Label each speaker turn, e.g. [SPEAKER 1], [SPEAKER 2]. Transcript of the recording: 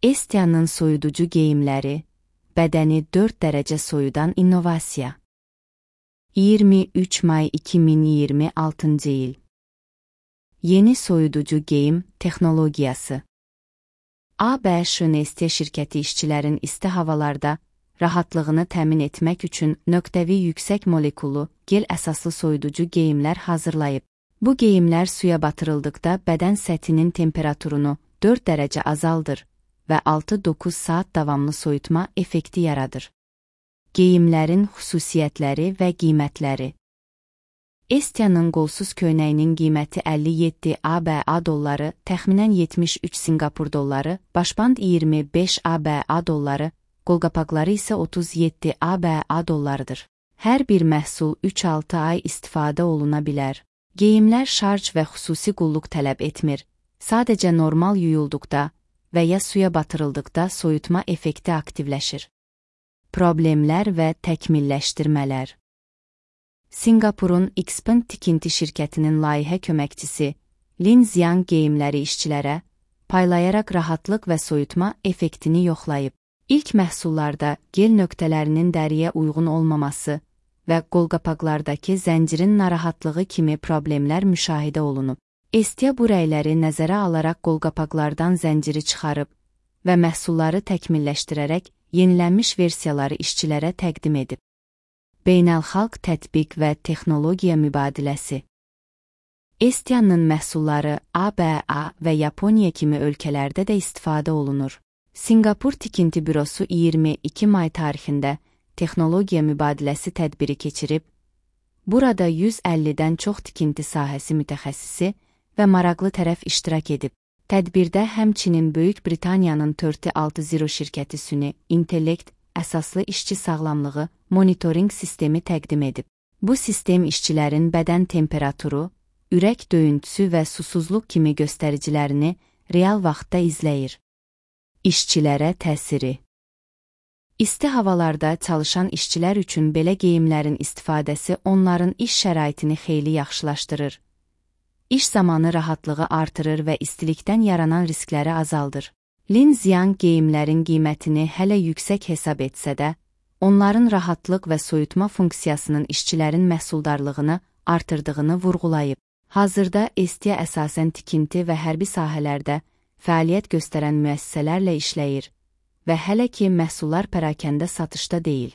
[SPEAKER 1] Estia'nın soyuducu geyimləri, bədəni 4 dərəcə soyudan innovasiya. 23 may 2026 il. Yeni soyuducu geyim texnologiyası. ABŞ Nestea şirkəti işçilərin isti havalarda rahatlığını təmin etmək üçün nöqtəvi yüksək molekullu, gel əsaslı soyuducu geyimlər hazırlayıb. Bu geyimlər suya batırıldıqda bədən səthinin temperaturunu 4 dərəcə azaldır və 6-9 saat davamlı soyutma effekti yaradır. Geyimlərin xüsusiyyətləri və qiymətləri. Estia'nın qolsuz köynəyinin qiyməti 57 ABA dolları, təxminən 73 Sinqapur dolları, başband 25 ABA dolları, qolqapaqları isə 37 ABA dollarıdır. Hər bir məhsul 3-6 ay istifadə oluna bilər. Geyimlər şarj və xüsusi qulluq tələb etmir. Sadəcə normal yuyulduqda və ya suya batırıldıqda soyutma effekti aktivləşir. Problemlər və təkmilləşdirmələr. Sinqapurun Xpeng tikinti şirkətinin layihə köməkçisi Lin Xiang geyimləri işçilərə paylayaraq rahatlıq və soyutma effektini yoxlayıb. İlk məhsullarda gel nöqtələrinin dəriyə uyğun olmaması və qolqapaqlardakı zəncirin narahatlığı kimi problemlər müşahidə olunub. Estea bu rəyləri nəzərə alaraq qolqapaqlardan zənciri çıxarıb və məhsulları təkmilləşdirərək yenilənmiş versiyaları işçilərə təqdim edib. Beynəlxalq tətbiq və texnologiya mübadiləsi. Estia'nın məhsulları ABA və Yaponiya kimi ölkələrdə də istifadə olunur. Sinqapur Tikinti Bürosu 22 may tarixində texnologiya mübadiləsi tədbiri keçirib, burada 150-dən çox tikinti sahəsi mütəxəssisi və maraqlı tərəf iştirak edib. Tədbirdə həmçinin Böyük Britaniyanın 460 şirkəti süni intellekt əsaslı işçi sağlamlığı monitoring sistemi təqdim edib. Bu sistem işçilərin bədən temperaturu, ürək döyüntüsü və susuzluq kimi göstəricilərini real vaxtda izləyir. İşçilərə təsiri. İsti havalarda çalışan işçilər üçün belə geyimlərin istifadəsi onların iş şəraitini xeyli yaxşılaşdırır. İş zamanı rahatlığı artırır və istilikdən yaranan riskləri azaldır. Lin Xiang geyimlərin qiymətini hələ yüksək hesab etsə də, onların rahatlıq və soyutma funksiyasının işçilərin məhsuldarlığını artırdığını vurğulayıb. Hazırda Estea əsasən tikinti və hərbi sahələrdə fəaliyyət göstərən müəssisələrlə işləyir və hələ ki məhsullar pərakəndə satışda deyil.